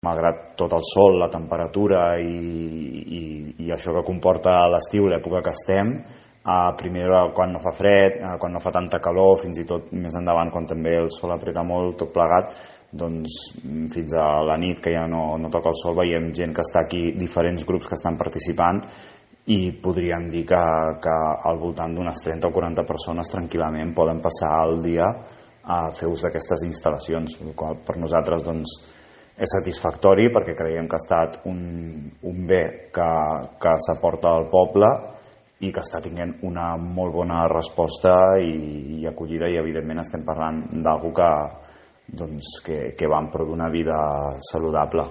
malgrat tot el sol, la temperatura i això que comporta l'estiu, l'època que estem, primer quan no fa fred, quan no fa tanta calor, fins i tot més endavant quan també el sol apreta molt, tot plegat, doncs fins a la nit que ja no toca el sol veiem gent que està aquí, diferents grups que estan participant, i podríem dir que al voltant d'unes 30 o 40 persones tranquil·lament poden passar el dia a fer ús d'aquestes instal·lacions, el qual per nosaltres doncs, és satisfactori perquè creiem que ha estat un bé que s'aporta al poble i que està tinguent una molt bona resposta i acollida, i evidentment estem parlant d'algú que va en pro d'una vida saludable.